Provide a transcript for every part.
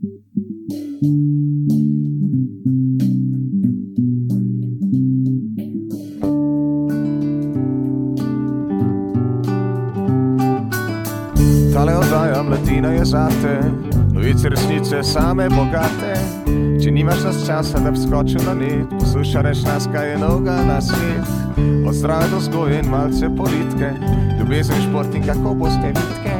Tale oddaja mladina je zate, novice resnice same bogate. Če nimaš nas časa, da bi skočil na net, poslušaj reč nas, kaj je novega na svet. Od zdrave do vzgoje in malce politike, ljubezen, šport in kako boste vitke,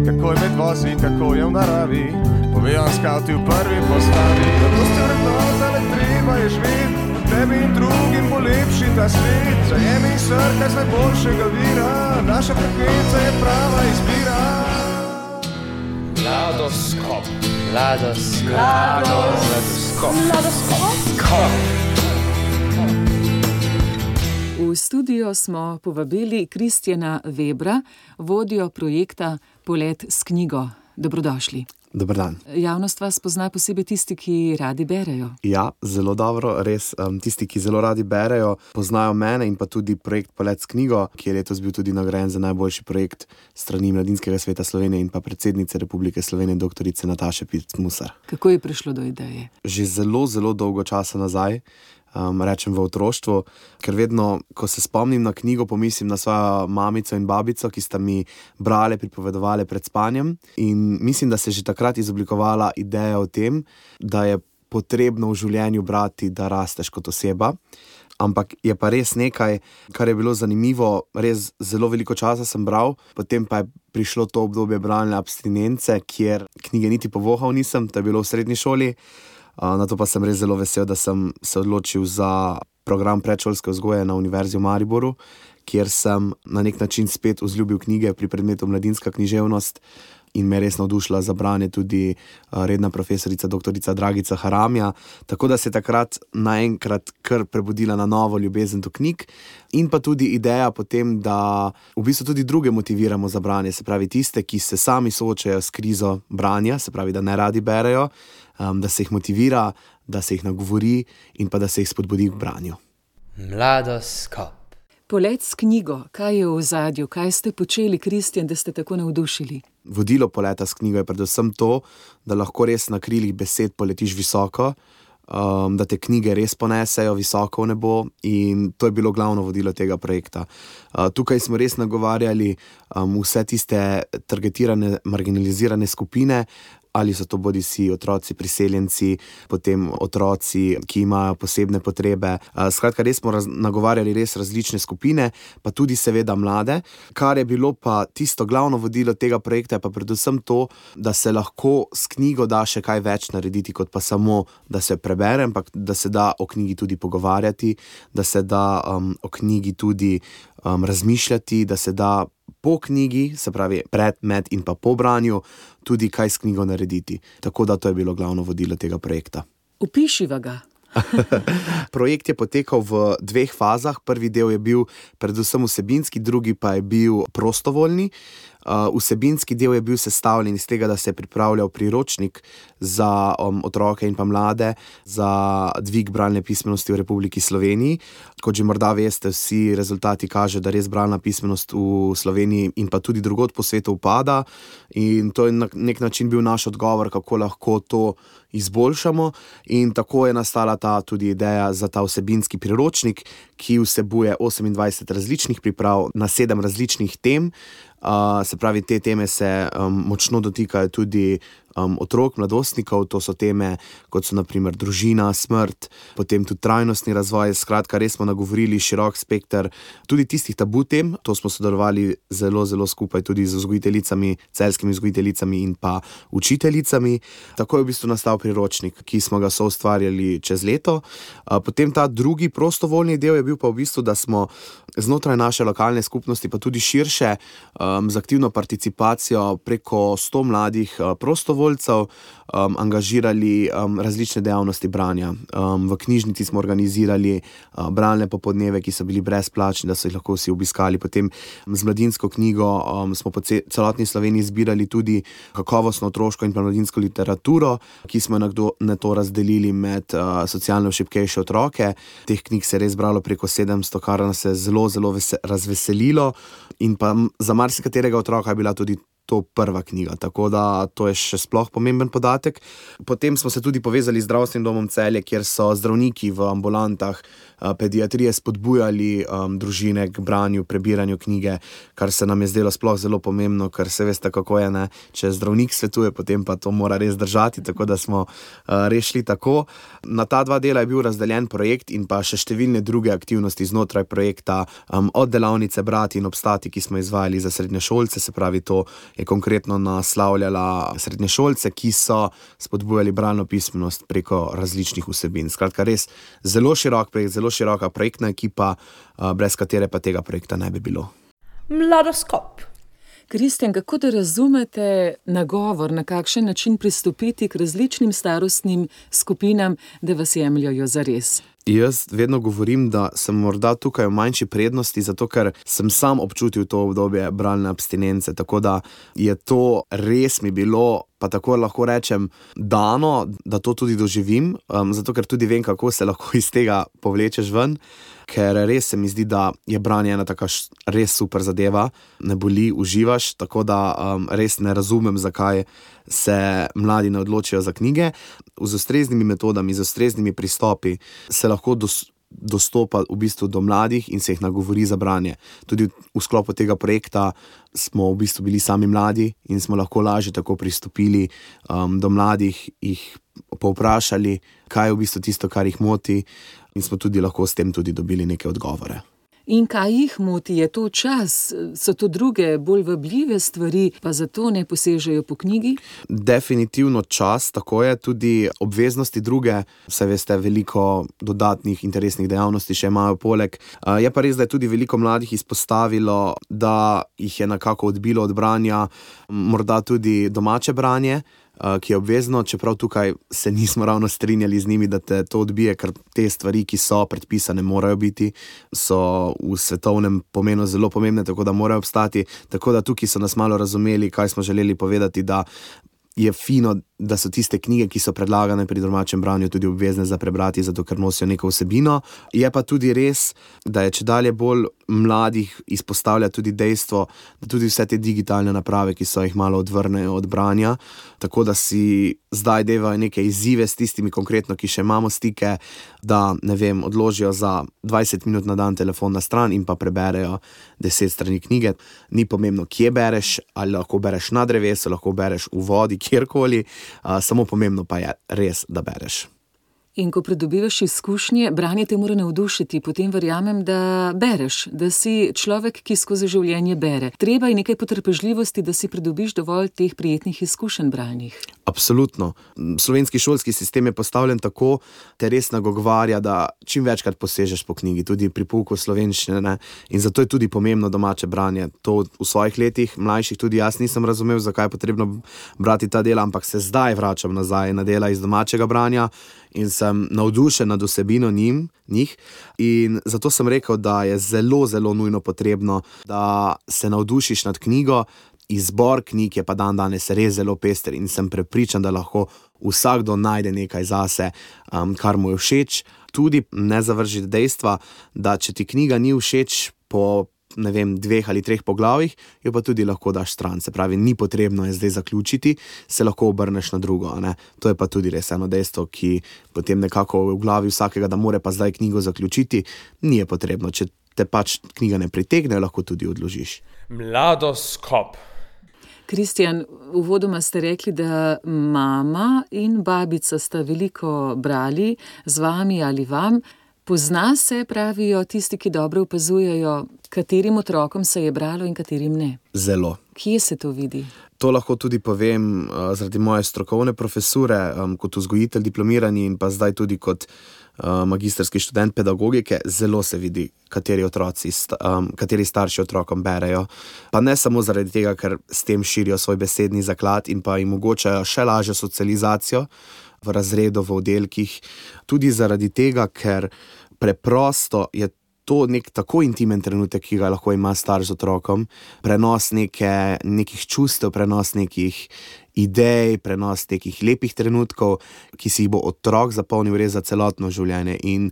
kako je med vozi, kako je v naravi, povejo skavti v prvi postavi. Zato ste vrednota, le treba je živeti, tebi in drugim bo lepši ta svet. Zajemi srka z najboljšega vira, naša frekvenca je prava izbira. Mladoskop. V studio smo povabili Kristjana Webra, vodjo projekta Polet s knjigo. Dobrodošli. Dober dan. Javnost vas pozna posebej tisti, ki radi berejo. Ja, zelo dobro, res. Tisti, ki zelo radi berejo, poznajo mene in pa tudi projekt Polet s knjigo, ki je letos bil tudi nagrajen za najboljši projekt strani Mladinskega sveta Slovenije in pa predsednice Republike Slovenije, doktorice Nataše Pirc Musar. Kako je prišlo do ideje? Že zelo dolgo časa nazaj, rečem v otroštvu, ker vedno, ko se spomnim na knjigo, pomislim na svojo mamico in babico, ki sta mi brale, pripovedovale pred spanjem, in mislim, da se je že takrat izoblikovala ideja o tem, da je potrebno v življenju brati, da rasteš kot oseba. Ampak je pa res nekaj, kar je bilo zanimivo, res zelo veliko časa sem bral, potem pa je prišlo to obdobje bralne abstinence, kjer knjige niti povohal nisem, to je bilo v srednji šoli. Na to pa sem res zelo vesel, da sem se odločil za program predšolske vzgoje na Univerzi v Mariboru, kjer sem na nek način spet vzljubil knjige pri predmetu mladinska književnost in me res navdušila za branje tudi redna profesorica doktorica Dragica Haramija, tako da se je takrat naenkrat kar prebudila na novo ljubezen do knjig in pa tudi ideja potem, da v bistvu tudi druge motiviramo za branje, se pravi tiste, ki se sami soočajo s krizo branja, se pravi, da ne radi berejo, da se jih motivira, da se jih nagovori in pa da se jih spodbudi k branju. Mladoskop. Polet s knjigo, kaj je v ozadju, kaj ste počeli, Kristjan, da ste tako navdušili? Vodilo poleta s knjigo je predvsem to, da lahko res na krilih besed poletiš visoko, da te knjige res ponesejo visoko v nebo, in to je bilo glavno vodilo tega projekta. Tukaj smo res nagovarjali vse tiste targetirane, marginalizirane skupine, ali so to bodisi otroci priseljenci, potem otroci, ki imajo posebne potrebe. Skratka, res smo nagovarjali res različne skupine, pa tudi seveda mlade. Kar je bilo pa tisto glavno vodilo tega projekta, je pa predvsem to, da se lahko s knjigo da še kaj več narediti, kot pa samo, da se prebere, ampak da se da o knjigi tudi pogovarjati, da se da o knjigi tudi razmišljati, da se da po knjigi, se pravi pred, med in pa po branju, tudi kaj s knjigo narediti. Tako da to je bilo glavno vodilo tega projekta. Opišiva ga. Projekt je potekal v 2 fazah. Prvi del je bil predvsem vsebinski, drugi pa je bil prostovoljni. Vsebinski del je bil sestavljen iz tega, da se je pripravljal priročnik za otroke in pa mlade za dvig bralne pismenosti v Republiki Sloveniji. Kot že morda veste, vsi rezultati kažejo, da res bralna pismenost v Sloveniji in pa tudi drugod po svetu upada, in to je na nek način bil naš odgovor, kako lahko to izboljšamo, in tako je nastala ta tudi ideja za ta vsebinski priročnik, ki vsebuje 28 različnih priprav na 7 različnih tem. Se pravi, te teme se močno dotikajo tudi otrok, mladostnikov. To so teme, kot so na primer družina, smrt, potem tudi trajnostni razvoj. Skratka, res smo nagovorili širok spekter tudi tistih tabu tem. To smo sodelovali zelo skupaj tudi z vzgojiteljicami, celjskimi vzgojiteljicami in pa učiteljicami. Tako je v bistvu nastal priročnik, ki smo ga soustvarjali čez leto. Potem ta drugi prostovoljni del je bil pa v bistvu, da smo znotraj naše lokalne skupnosti, pa tudi širše, z aktivno participacijo preko 100 mladih prostovoljcev angažirali različne dejavnosti branja. V knjižnici smo organizirali bralne popoldneve, ki so bili brezplačni, da so jih lahko vsi obiskali. Potem z mladinsko knjigo smo po celotni Sloveniji zbirali tudi kakovostno otroško in pa mladinsko literaturo, ki smo na to razdelili med socialno šibkejše otroke. Teh knjig se je res bralo preko 700, kar nas je zelo razveselilo, in pa za marsikaterega otroka je bila tudi to prva knjiga, tako da to je še sploh pomemben podatek. Potem smo se tudi povezali z Zdravstvenim domom Celje, kjer so zdravniki v ambulantah pediatrije spodbujali družine k branju, prebiranju knjige, kar se nam je zdelo sploh zelo pomembno, ker se veste, kako je, ne? Če zdravnik svetuje, potem pa to mora res držati, tako da smo rešili tako. Na ta 2 dela je bil razdeljen projekt in pa še številne druge aktivnosti znotraj projekta, od delavnice Brati in obstati, ki smo izvajali za srednješolce, se pravi, to je konkretno naslavljala srednješolce, ki so spodbujali bralno pismenost preko različnih vsebin. Skratka, res zelo širok projekt, zelo široka projektna ekipa, brez katere pa tega projekta ne bi bilo. Mladoskop. Kristjan, kako da razumete nagovor, na kakšen način pristopiti k različnim starostnim skupinam, da vas jemljajo zares? Jaz vedno govorim, da sem morda tukaj v manjši prednosti, zato ker sem sam občutil to obdobje bralne abstinence, tako da je to res mi bilo, pa tako lahko rečem, dano, da to tudi doživim, zato ker tudi vem, kako se lahko iz tega povlečeš ven, ker res se mi zdi, da je branje ena taka res super zadeva, ne boli, uživaš, tako da res ne razumem, zakaj se mladi ne odločijo za knjige. Z ustreznimi metodami, z ustreznimi pristopi se lahko dostopa v bistvu do mladih in se jih nagovori za branje. Tudi v sklopu tega projekta smo v bistvu bili sami mladi in smo lahko lažje tako pristopili do mladih, jih povprašali, kaj je v bistvu tisto, kar jih moti, in smo tudi lahko s tem tudi dobili neke odgovore. In kaj jih moti? Je to čas? So to druge, bolj vabljive stvari, pa zato ne posežejo po knjigi? Definitivno čas, tako je, tudi obveznosti druge, saj veste, veliko dodatnih interesnih dejavnosti še imajo poleg. Je pa res, da je tudi veliko mladih izpostavilo, da jih je nekako odbilo od branja, morda tudi domače branje, ki je obvezno, čeprav tukaj se nismo ravno strinjali z njimi, da te to odbije, ker te stvari, ki so predpisane, morajo biti, so v svetovnem pomenu zelo pomembne, tako da morajo obstati, tako da tukaj so nas malo razumeli, kaj smo želeli povedati, da je fino, da so tiste knjige, ki so predlagane pri domačem branju, tudi obvezne za prebrati, zato ker nosijo neko vsebino. Je pa tudi res, da je čedalje bolj mladih izpostavlja tudi dejstvo, da tudi vse te digitalne naprave, ki so jih malo odvrnejo od branja, tako da si zdaj devajo neke izzive s tistimi konkretno, ki še imamo stike, da, ne vem, odložijo za 20 minut na dan telefon na stran in pa preberejo 10 strani knjige. Ni pomembno, kje bereš, ali lahko bereš na drevesu, lahko bereš v vodi, kjerkoli, samo pomembno pa je res, da bereš. In ko pridobivaš izkušnje, branje te mora navdušiti, potem verjamem, da bereš, da si človek, ki skozi življenje bere. Treba je nekaj potrpežljivosti, da si pridobiš dovolj teh prijetnih izkušenj bralnih. Absolutno. Slovenski šolski sistem je postavljen tako, te res nagovarja, da čim večkrat posežeš po knjigi, tudi pri pouku slovenščine, ne? In zato je tudi pomembno domače branje. To v svojih letih, mlajših, tudi jaz nisem razumel, zakaj je potrebno brati ta dela, ampak se zdaj vračam nazaj na dela iz domačega branja in sem navdušen nad vsebino njih. In zato sem rekel, da je zelo, zelo nujno potrebno, da se navdušiš nad knjigo. Izbor knjig je pa danes res zelo pester in sem prepričan, da lahko vsakdo najde nekaj zase, kar mu je všeč. Tudi ne zavrži dejstva, da če ti knjiga ni všeč po, ne vem, 2 ali 3 poglavjih, jo pa tudi lahko daš stran. Se pravi, ni potrebno je zdaj zaključiti, se lahko obrneš na drugo, ne? To je pa tudi res eno dejstvo, ki potem nekako v glavi vsakega, da more pa zdaj knjigo zaključiti, ni je potrebno. Če te pač knjiga ne pritegne, lahko tudi odložiš. Mladoskop. Kristjan, uvodoma ste rekli, da mama in babica sta veliko brali z vami ali vam. Pozna se, pravijo tisti, ki dobro opazujejo, katerim otrokom se je bralo in katerim ne. Zelo. Kje se to vidi? To lahko tudi povem zaradi moje strokovne profesure, kot vzgojitelj diplomirani in pa zdaj tudi kot magistrski študent pedagogike. Zelo se vidi, kateri starši otrokom berejo. Pa ne samo zaradi tega, ker s tem širijo svoj besedni zaklad in pa jim omogočajo še lažjo socializacijo v razredu, v oddelkih. Tudi zaradi tega, ker preprosto je to nek tako intimen trenutek, ki ga lahko ima starš z otrokom, prenos nekih čustev, prenos nekih idej, prenos nekih lepih trenutkov, ki si jih bo otrok zapomnil res za celotno življenje. In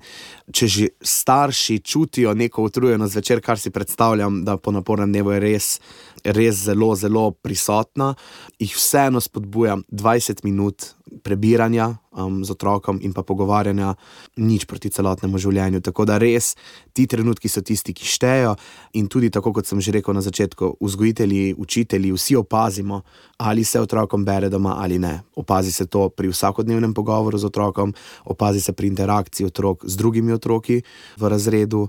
če že starši čutijo neko utrujenost zvečer, kar si predstavljam, da po napornem dnevu je res res zelo, zelo prisotna, jih vseeno spodbujam 20 minut prebiranja z otrokom in pa pogovarjanja, nič proti celotnemu življenju. Tako da res ti trenutki so tisti, ki štejo in tudi tako, kot sem že rekel na začetku, vzgojitelji, učitelji, vsi opazimo, ali se otrokom bere doma ali ne. Opazi se to pri vsakodnevnem pogovoru z otrokom, opazi se pri interakciji otrok z drugimi otroki v razredu,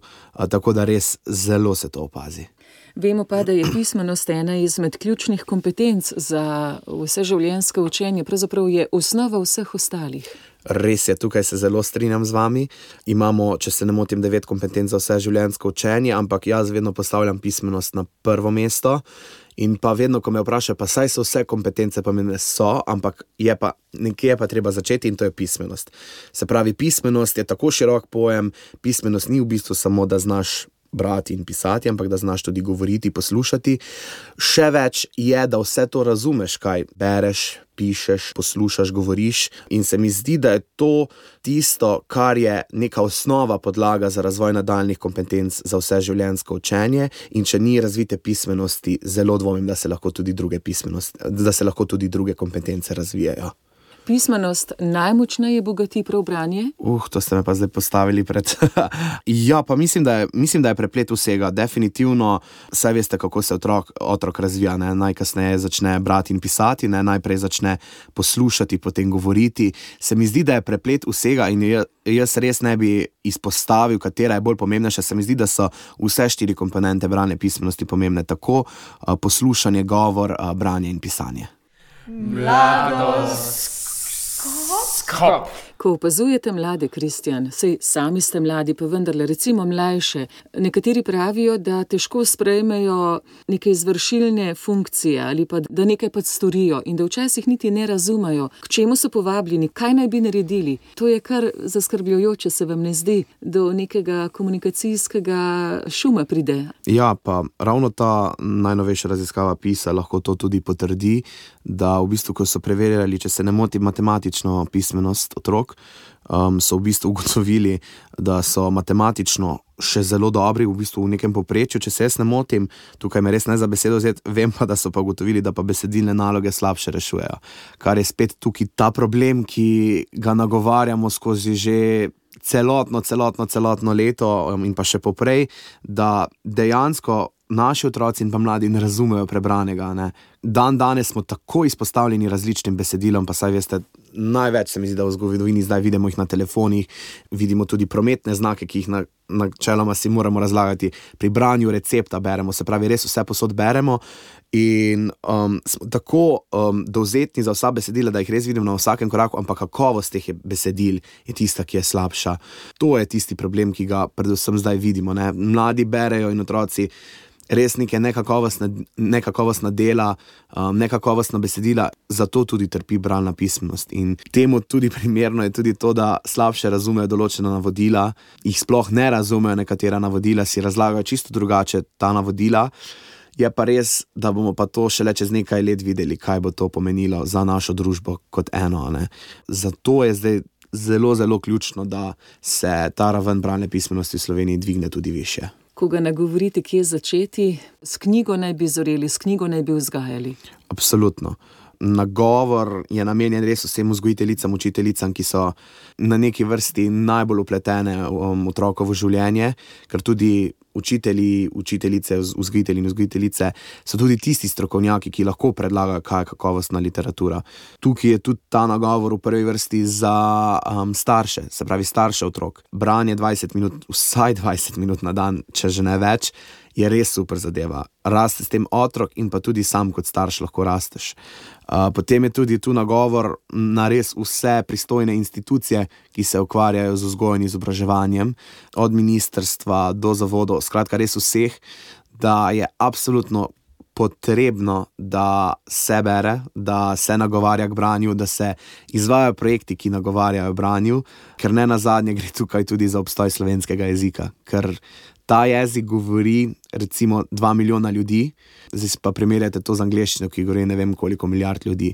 tako da res zelo se to opazi. Vemo pa, da je pismenost ena izmed ključnih kompetenc za vseživljenjsko učenje, pravzaprav je osnova vseh ostalih. Res je, tukaj se zelo strinjam z vami. Imamo, če se ne motim, 9 kompetenc za vseživljenjsko učenje, ampak jaz vedno postavljam pismenost na prvo mesto. In pa vedno, ko me vprašajo, pa saj so vse kompetence, pa mene so, ampak nekje je pa treba začeti in to je pismenost. Se pravi, pismenost je tako širok pojem, pismenost ni v bistvu samo, da znaš brati in pisati, ampak da znaš tudi govoriti, poslušati. Še več je, da vse to razumeš, kaj bereš, pišeš, poslušaš, govoriš, in se mi zdi, da je to tisto, kar je neka osnova, podlaga za razvoj nadaljnjih kompetenc za vseživljenjsko učenje, in če ni razvite pismenosti, zelo dvomim, da se lahko tudi druge kompetence razvijajo. Pismenost najmočneje bogati prav branje? To ste me pa zdaj postavili pred... Ja, pa mislim, da je preplet vsega. Definitivno, saj veste, kako se otrok razvija. Ne? Najkasneje začne brati in pisati, ne? Najprej začne poslušati, potem govoriti. Se mi zdi, da je preplet vsega in jaz res ne bi izpostavil, katera je bolj pomembnejša. Se mi zdi, da so vse 4 komponente bralne pismenosti pomembne. Tako poslušanje, govor, branje in pisanje. Mladoskop. Ko opazujete mlade, Kristjan, saj sami ste mladi, pa vendarle, recimo mlajše, nekateri pravijo, da težko sprejmejo neke izvršilne funkcije ali pa da nekaj pač storijo in da včasih niti ne razumejo, k čemu so povabljeni, kaj naj bi naredili. To je kar zaskrbljujoče, se vam ne zdi, do nekega komunikacijskega šuma pride. Ja, pa ravno ta najnovejša raziskava PISA lahko to tudi potrdi, da v bistvu, ko so preverjali, če se ne moti, matematično pismenost otrok, so v bistvu ugotovili, da so matematično še zelo dobri, v bistvu v nekem povprečju, če se jaz ne motim, tukaj me res ne za besedo vzeti, vem pa, da so pa ugotovili, da pa besedilne naloge slabše rešujejo. Kar je spet tukaj ta problem, ki ga nagovarjamo skozi že celotno leto in pa še poprej, da dejansko naši otroci in pa mladi ne razumejo prebranega. Ne. Danes smo tako izpostavljeni različnim besedilom, pa saj veste, največ se mi zdi, da v zgodovini zdaj vidimo jih na telefonih, vidimo tudi prometne znake, ki jih načeloma si moramo razlagati. Pri branju recepta beremo, se pravi, res vse posod beremo in smo tako dovzetni za vsa besedila, da jih res vidimo na vsakem koraku, ampak kakovost teh besedil je tista, ki je slabša. To je tisti problem, ki ga predvsem zdaj vidimo. Ne. Mladi berejo in otroci res neke nekakovostna dela, nekakovostna besedila, zato tudi trpi bralna pismenost. In temu tudi primerno je tudi to, da slabše razumejo določena navodila, jih sploh ne razumejo nekatera navodila, si razlagajo čisto drugače ta navodila. Je pa res, da bomo pa to šele čez nekaj let videli, kaj bo to pomenilo za našo družbo kot eno. Ne. Zato je zdaj zelo, zelo ključno, da se ta raven bralne pismenosti v Sloveniji dvigne tudi višje. Ko ga nagovorite, kje začeti, s knjigo naj bi zoreli, s knjigo naj bi vzgajali. Absolutno. Nagovor je namenjen res vsem vzgojiteljicam, učiteljicam, ki so na neki vrsti najbolj vpletene otrokovo življenje, ker tudi učitelji, učiteljice, vzgojitelji in vzgojiteljice so tudi tisti strokovnjaki, ki lahko predlagajo, kaj je kakovostna literatura. Tukaj je tudi ta nagovor v prvi vrsti za starše, se pravi starše otrok. Branje 20 minut, vsaj 20 minut na dan, če že ne več, je res super zadeva. Raste s tem otrok in pa tudi sam kot starš lahko rasteš. Potem je tudi tu nagovor na res vse pristojne institucije, ki se ukvarjajo z vzgojo in izobraževanjem, od ministrstva do zavodov, skratka res vseh, da je absolutno potrebno, da se bere, da se nagovarja k branju, da se izvajajo projekti, ki nagovarjajo branju, ker ne nazadnje gre tukaj tudi za obstoj slovenskega jezika, ker ta jezik govori recimo 2 milijona ljudi, zdaj pa primerjate to z angleščino, ki govori ne vem koliko milijard ljudi.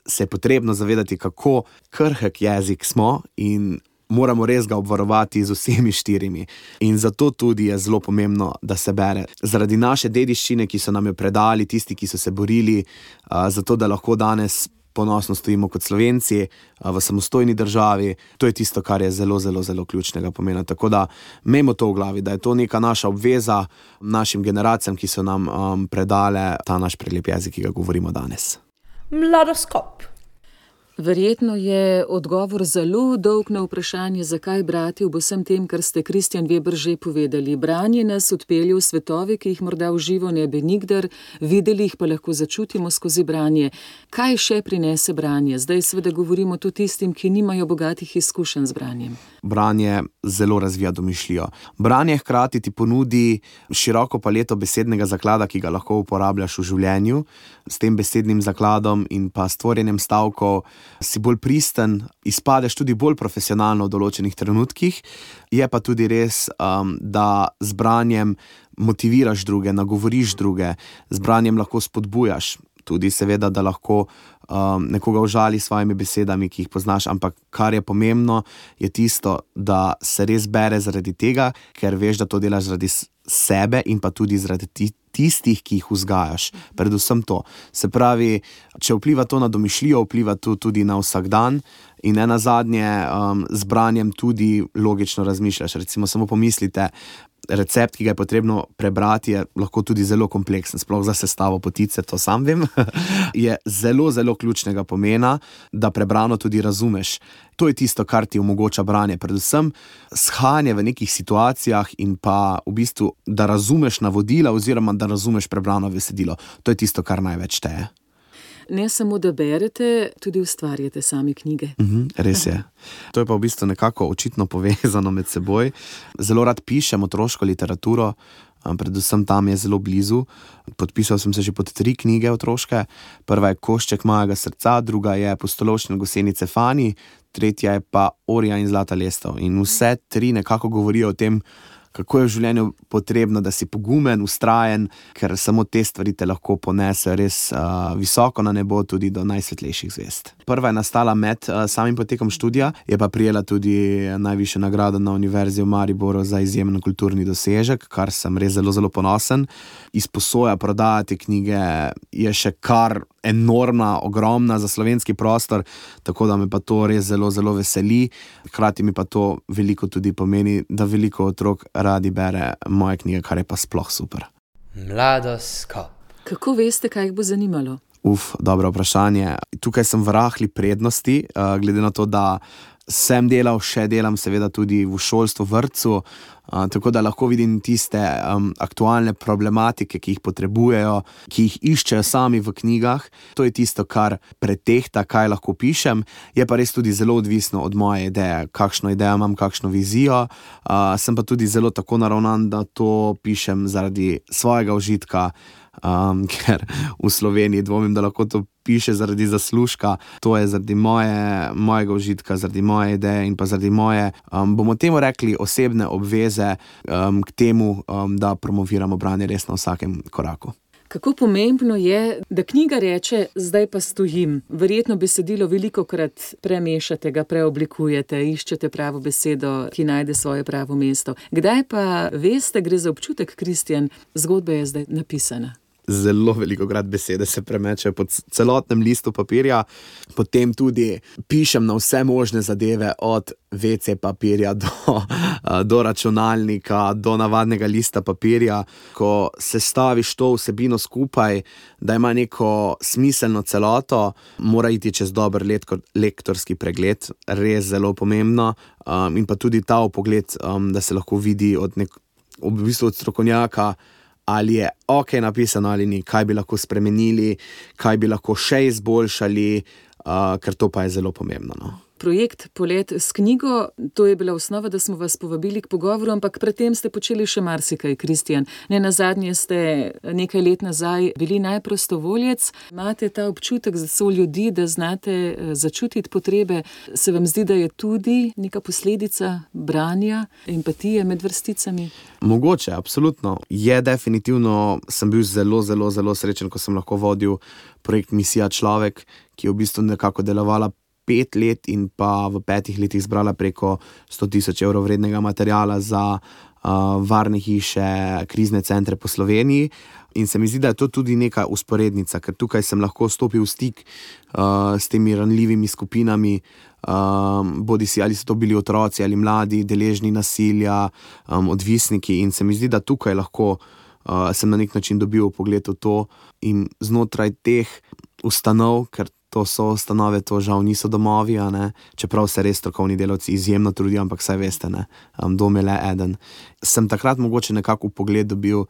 Se je potrebno zavedati, kako krhek jezik smo in moramo res ga obvarovati z vsemi 4. In zato tudi je zelo pomembno, da se bere. Zaradi naše dediščine, ki so nam jo predali, tisti, ki so se borili, zato da lahko danes ponosno stojimo kot Slovenci v samostojni državi. To je tisto, kar je zelo, zelo, zelo ključnega pomena. Tako da imejmo to v glavi, da je to neka naša obveza našim generacijam, ki so nam predale ta naš prelep jezik, ki ga govorimo danes. Mladoskop. Verjetno je odgovor zelo dolg na vprašanje, zakaj brati ob vsem tem, kar ste Kristjan Veber že povedali. Branje nas odpelje v svetove, ki jih morda v živo ne bi nikdar videli, jih pa lahko začutimo skozi branje. Kaj še prinese branje? Zdaj seveda govorimo tudi tistim, ki nimajo bogatih izkušenj z branjem. Branje zelo razvija domišljijo. Branje hkrati ti ponudi široko paleto besednega zaklada, ki ga lahko uporabljaš v življenju. S tem besednim zakladom in pa stvorjenjem stavkov si bolj pristen, izpadeš tudi bolj profesionalno v določenih trenutkih. Je pa tudi res, da z branjem motiviraš druge, nagovoriš druge, z branjem lahko spodbujaš. Tudi seveda, da lahko nekoga užali s svojimi besedami, ki jih poznaš, ampak kar je pomembno, je tisto, da se res bere zaradi tega, ker veš, da to delaš zaradi sebe in pa tudi zaradi tistih, ki jih vzgajaš. Predvsem to. Se pravi, če vpliva to na domišljijo, vpliva to tudi na vsak dan in nenazadnje z branjem tudi logično razmišljaš. Recimo samo pomislite, recept, ki ga je potrebno prebrati, je lahko tudi zelo kompleksen, sploh za sestavo potice, to sam vem, je zelo, zelo ključnega pomena, da prebrano tudi razumeš. To je tisto, kar ti omogoča branje, predvsem shajanje v nekih situacijah in pa v bistvu, da razumeš navodila oziroma da razumeš prebrano besedilo. To je tisto, kar največ šteje. Ne samo, da berete, tudi ustvarjate sami knjige. Res je. To je pa v bistvu nekako očitno povezano med seboj. Zelo rad pišem otroško literaturo, predvsem tam je zelo blizu. Podpisal sem se že pod 3 knjige otroške. Prva je Košček mojega srca, druga je Pustolovščina gosenice Fani, tretja je pa Orja in zlata lestev. In vse 3 nekako govorijo o tem, kako je v življenju potrebno, da si pogumen, vztrajen, ker samo te stvari te lahko ponesejo res visoko na nebo, tudi do najsvetlejših zvezd. Prva je nastala med samim potekom študija, je pa prejela tudi najvišjo nagrado na Univerzi v Mariboru za izjemen kulturni dosežek, kar sem res zelo, zelo ponosen. Izposoja prodajati knjige je še kar enormna, ogromna za slovenski prostor, tako da me pa to res zelo, zelo veseli. Hkrati mi pa to veliko tudi pomeni, da veliko otrok radi bere moje knjige, kar je pa sploh super. Mladoskop. Kako veste, kaj jih bo zanimalo? Dobro vprašanje. Tukaj sem v rahli prednosti, glede na to, da sem delal, še delam seveda tudi v šolstvu, vrtcu, tako da lahko vidim tiste aktualne problematike, ki jih potrebujejo, ki jih iščejo sami v knjigah. To je tisto, kar pretehta, kaj lahko pišem. Je pa res tudi zelo odvisno od moje ideje, kakšno idejo imam, kakšno vizijo. Sem pa tudi zelo tako naravnan, da to pišem zaradi svojega užitka, ker v Sloveniji dvomim, da lahko to piše zaradi zaslužka. To je zaradi mojega užitka, zaradi moje ideje in pa zaradi moje, bomo temu rekli, osebne obveze k temu, da promoviramo branje res na vsakem koraku. Kako pomembno je, da knjiga reče, zdaj pa stojim. Verjetno besedilo velikokrat premešate, ga preoblikujete, iščete pravo besedo, ki najde svoje pravo mesto. Kdaj pa veste, gre za občutek, Kristjan, zgodba je zdaj napisana? Zelo velikokrat besede se premečejo po celotnem listu papirja, potem tudi pišem na vse možne zadeve, od WC papirja do računalnika, do navadnega lista papirja. Ko sestaviš to vsebino skupaj, da ima neko smiselno celoto, mora iti čez dober lektorski pregled, res zelo pomembno, in pa tudi ta vpogled, da se lahko vidi od strokovnjaka, ali je ok napisano ali ni, kaj bi lahko spremenili, kaj bi lahko še izboljšali, ker to pa je zelo pomembno, no. Projekt Polet s knjigo, to je bila osnova, da smo vas povabili k pogovoru, ampak predtem ste počeli še marsikaj, Kristjan. Nenazadnje ste nekaj let nazaj bili najprostovoljec. Imate ta občutek za so ljudi, da znate začutiti potrebe. Se vam zdi, da je tudi neka posledica branja, empatije med vrsticami? Mogoče, absolutno. Je definitivno, sem bil zelo, zelo, zelo srečen, ko sem lahko vodil projekt Misija človek, ki je v bistvu nekako delovala 5 let in pa v 5 letih zbrala preko 100,000 evrov vrednega materiala za varne hiše, krizne centre po Sloveniji. In se mi zdi, da je to tudi neka usporednica, ker tukaj sem lahko stopil v stik s temi ranljivimi skupinami, bodisi ali so to bili otroci ali mladi, deležni nasilja, odvisniki, in se mi zdi, da tukaj lahko sem na nek način dobil pogled v to in znotraj teh ustanov, ker to so ustanove, to žal niso domovi, čeprav se res strokovni delavci izjemno trudijo, ampak saj veste, dom je le eden. Sem takrat mogoče nekako pogled dobil,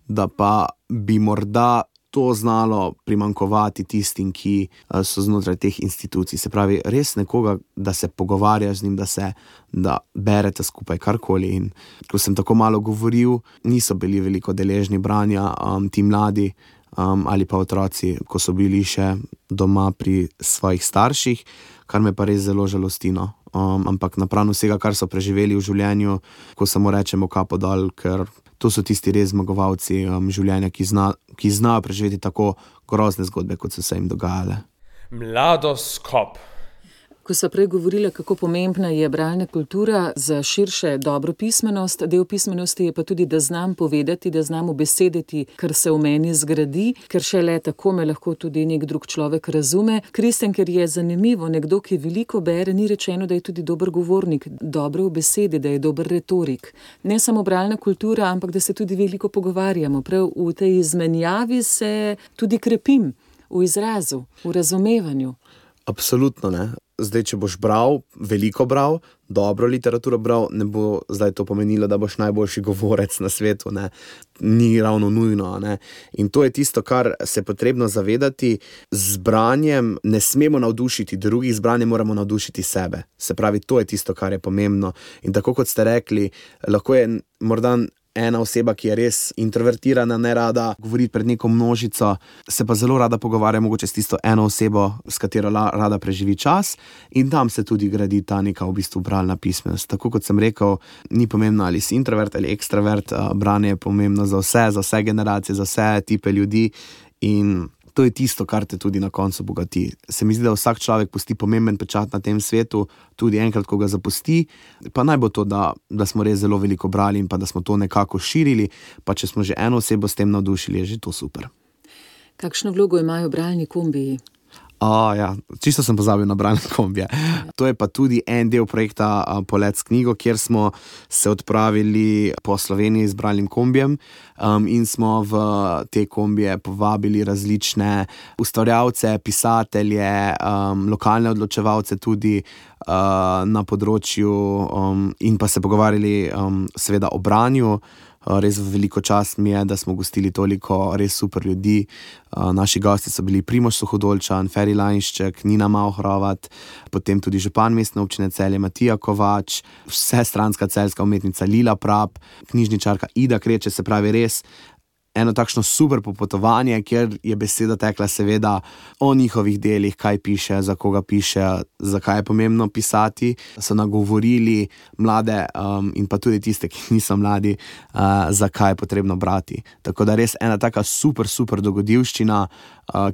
da pa bi morda to znalo primanjkovati tistim, ki so znotraj teh institucij. Se pravi, res nekoga, da se pogovarjaš z njim, da berete skupaj karkoli. In ko sem tako malo govoril, niso bili veliko deležni branja, ti mladi ali pa otroci, ko so bili še doma pri svojih starših, kar me pa res zelo žalosti. Ampak napram vsega, kar so preživeli v življenju, ko samo rečemo kapo dol, ker to so tisti res zmagovalci življenja, ki znajo preživeti tako grozne zgodbe, kot so se jim dogajale. Mladoskop. Ko so prej govorila, kako pomembna je bralna kultura za širše dobro pismenost, del pismenosti je pa tudi, da znam povedati, da znam ubesediti, kar se v meni zgradi, ker šele tako me lahko tudi nek drug človek razume. Kristjan, ker je zanimivo, nekdo, ki veliko bere, ni rečeno, da je tudi dober govornik, dobro v besedi, da je dober retorik. Ne samo bralna kultura, ampak da se tudi veliko pogovarjamo. Prav v tej izmenjavi se tudi krepim v izrazu, v razumevanju. Absolutno, ne. Zdaj, če boš bral, veliko bral, dobro literaturo bral, ne bo zdaj to pomenilo, da boš najboljši govorec na svetu, ne. Ni ravno nujno, ne. In to je tisto, kar se je potrebno zavedati. Z branjem ne smemo navdušiti drugih, z branjem moramo navdušiti sebe. Se pravi, to je tisto, kar je pomembno. In tako kot ste rekli, lahko je morda ena oseba, ki je res introvertirana, ne rada govori pred neko množico, se pa zelo rada pogovarja mogoče s tisto eno osebo, s katero rada preživi čas, in tam se tudi gradi ta neka v bistvu bralna pismenost. Tako kot sem rekel, ni pomembno, ali si introvert ali ekstravert, branje je pomembno za vse generacije, za vse tipe ljudi, in to je tisto, kar te tudi na koncu bogati. Se mi zdi, da vsak človek pusti pomemben pečat na tem svetu, tudi enkrat, ko ga zapusti, pa naj bo to, da smo res zelo veliko brali in pa da smo to nekako širili, pa če smo že eno osebo s tem navdušili, je že to super. Kakšno vlogo imajo bralni kombiji? Ja, čisto sem pozabil na bralne kombije. To je pa tudi en del projekta Polet s knjigo, kjer smo se odpravili po Sloveniji z bralnim kombijem in smo v te kombije povabili različne ustvarjalce, pisatelje, lokalne odločevalce tudi na področju in pa se pogovarjali seveda o branju. Res veliko čast mi je, da smo gostili toliko res super ljudi. Naši gosti so bili Primož Suhodolčan, Feri Lainšček, Nina Mauhrovat, potem tudi župan mestne občine Celje Matija Kovač, vsestranska celjska umetnica Lila Prap, knjižničarka Ida Kreče, se pravi res eno takšno super popotovanje, kjer je beseda tekla seveda o njihovih delih, kaj piše, za koga piše, zakaj je pomembno pisati. So nagovorili mlade in pa tudi tiste, ki niso mladi, zakaj je potrebno brati. Tako da res ena taka super dogodivščina,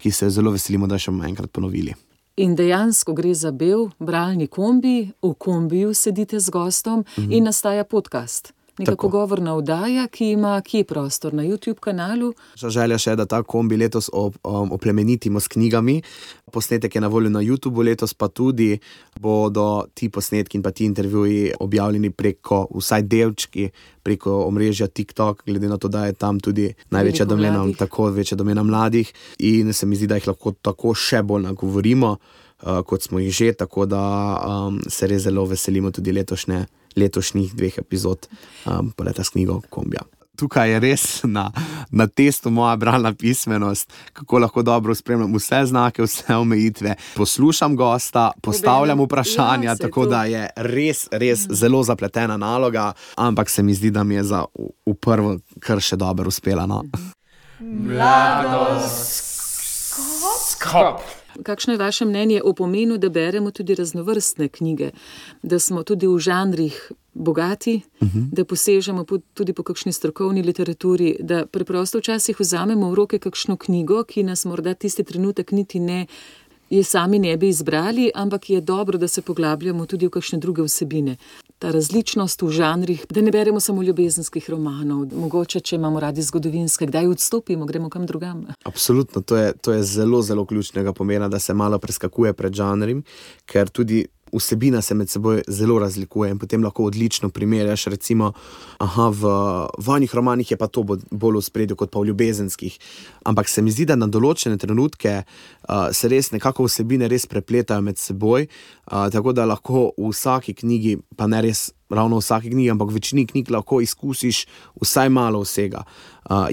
ki se zelo veselimo, da še bomo enkrat ponovili. In dejansko gre za bel bralni kombi, v kombiju sedite z gostom in nastaja podcast. Neka pogovorna oddaja, ki ima kje prostor na YouTube kanalu. Želja še je, da ta kombi letos oplemenitimo s knjigami. Posnetek je na voljo na YouTubeu, letos pa tudi bodo ti posnetki in pa ti intervjuji objavljeni preko, vsaj delčki, preko omrežja TikTok, glede na to, da je tam tudi največja domena, tako večja domena mladih. In se mi zdi, da jih lahko tako še bolj nagovorimo, kot smo jih že, tako da se res zelo veselimo tudi letošnjih 2 epizod Poleta s knjigo kombija. Tukaj je res na testu moja bralna pismenost, kako lahko dobro spremljam vse znake, vse omejitve, poslušam gosta, postavljam vprašanja, tako da je res zelo zapletena naloga, ampak se mi zdi, da mi je v prvo kar še dobro uspela. Mladoskop. Kakšno je vaše mnenje o pomenu, da beremo tudi raznovrstne knjige, da smo tudi v žanrih bogati, da posežemo tudi po kakšni strokovni literaturi, da preprosto včasih vzamemo v roke kakšno knjigo, ki nas morda tisti trenutek niti ne je sami ne bi izbrali, ampak je dobro, da se poglabljamo tudi v kakšne druge vsebine. Ta različnost v žanrih, da ne beremo samo ljubezenskih romanov, mogoče, če imamo radi zgodovinske, kdaj odstopimo, gremo kam drugam. Absolutno, to je zelo, zelo ključnega pomena, da se malo preskakuje pred žanrim, ker tudi vsebina se med seboj zelo razlikuje in potem lahko odlično primerjaš, recimo, v vojnih romanih je pa to bolj v spredju kot pa v ljubezenskih. Ampak se mi zdi, da na določene trenutke se res nekako vsebine res prepletajo med seboj, tako da lahko v vsaki knjigi, pa ne res ravno v vsaki knjigi, ampak v večini knjig lahko izkusiš vsaj malo vsega.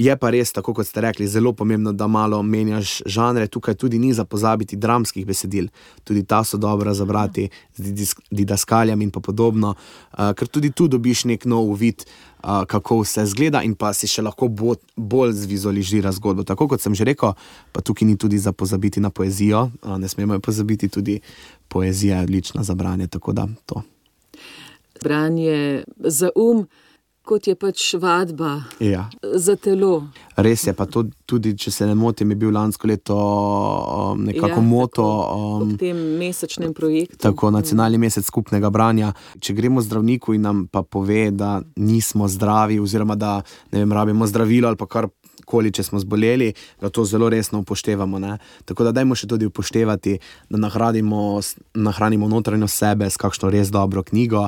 Je pa res, tako kot ste rekli, zelo pomembno, da malo menjaš žanre. Tukaj tudi ni za pozabiti dramskih besedil. Tudi ta so dobra za brati z didaskaljami in pa podobno, ker tudi tu dobiš nek nov uvid, kako vse zgleda in pa si še lahko bolj zvizualizira zgodbo. Tako kot sem že rekel, pa tukaj ni tudi za pozabiti na poezijo. Ne smemo pozabiti, tudi poezija je odlična za branje, tako da to. Branje za kot je pač vadba za telo. Res je, pa to tudi, če se ne motim, je bil lansko leto nekako moto. Ob tem mesečnem projektu. Tako, nacionalni mesec skupnega branja. Če gremo zdravniku in nam pa pove, da nismo zdravi oziroma da, ne vem, rabimo zdravilo ali pa karkoli, če smo zboleli, da to zelo resno upoštevamo, ne. Tako da dajmo še tudi upoštevati, da nahranimo notranjo sebe s kakšno res dobro knjigo,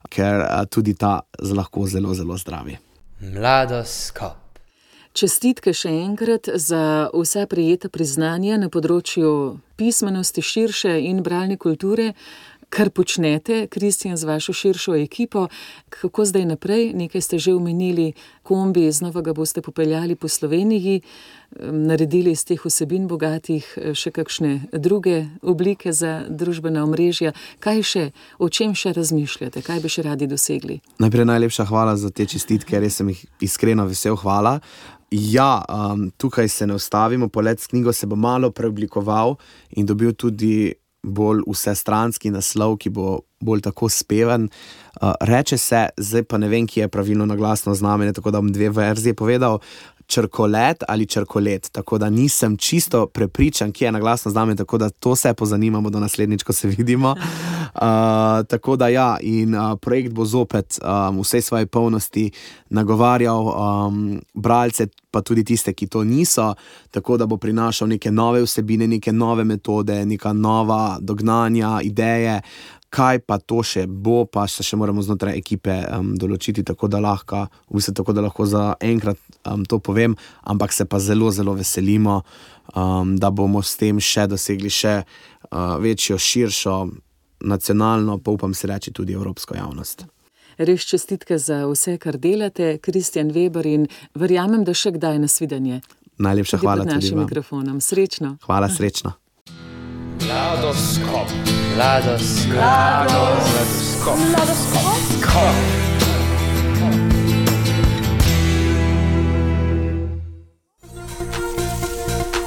ker tudi ta lahko zelo, zelo zdravi. Mladoskop. Čestitke še enkrat za vsa prejeta priznanja na področju pismenosti širše in bralne kulture, kar počnete, Kristjan, z vašo širšo ekipo. Kako zdaj naprej? Nekaj ste že omenili, kombi, znova ga boste popeljali po Sloveniji, naredili iz teh vsebin bogatih še kakšne druge oblike za družbena omrežja. Kaj še, o čem še razmišljate? Kaj bi še radi dosegli? Najprej najlepša hvala za te čestitke, res sem jih iskreno vesel, hvala. Ja, tukaj se ne ustavimo, Polet s knjigo se bo malo preoblikoval in dobil tudi bolj vsestranski naslov, ki bo bolj tako speven. Reče se, zdaj pa ne vem, ki je pravilno naglasno znamenje, tako da bom dve verzije povedal, črkolet ali črkolet, tako da nisem čisto prepričan, ki je naglasno znamenje, tako da to se pozanimamo do naslednjič, ko se vidimo. Tako da ja, in projekt bo zopet vsej svoje polnosti nagovarjal bralce, pa tudi tiste, ki to niso, tako da bo prinašal neke nove vsebine, neke nove metode, neka nova dognanja, ideje. Kaj pa to še bo, pa se še moramo znotraj ekipe določiti, tako da lahko za enkrat to povem, ampak se pa zelo, zelo veselimo, da bomo s tem še dosegli še večjo, širšo, nacionalno, pa upam si reči tudi evropsko javnost. Res čestitke za vse, kar delate, Kristjan Veber, in verjamem, da še kdaj nasvidenje. Najlepša hvala tudi vam. Pod našim mikrofonom. Srečno. Hvala, srečno. Mladoskop.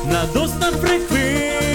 Mladostna frekvenca.